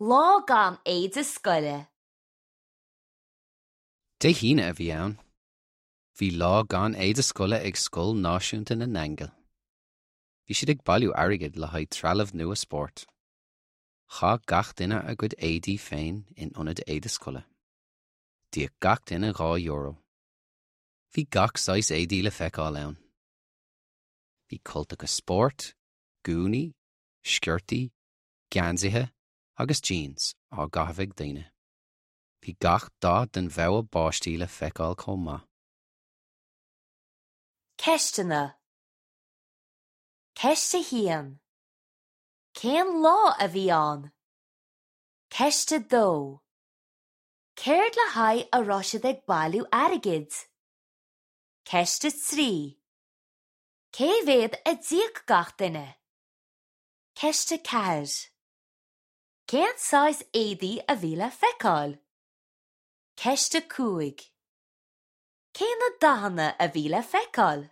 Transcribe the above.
Lá gan éide scoile. Dé hAoine a bhí ann. Bhí lá gan éide scoile ag Scoil Náisiúnta na nAingeal. Bhí siad ag bailiú airgid le haghaidh trealamh nua spóirt. Chaith gach duine a gcuid éadaí féin in ionad éide scoile. D'íoc gach duine €2. Bhí gach saghas éadaí le feiceáil ann. Bhí cultacha spóirt, gúnaí, sciortaí, geansaithe agus jeans á gcaitheamh ag daoine. Bhí gach dath den bhogha báistí le feiceáil chomh maith. Ceisteanna Ceist 1. Cén lá a bhí ann? Ceist 2. Céard le haghaidh a raibh siad ag bailiú airgid? Ceist 3. Cé mhéad a d'íoc gach duine? Ceist 4. Cén saghas éadaí a bhí le feiceáil? Ceist 5. Cé na dathanna a bhí le feiceáil?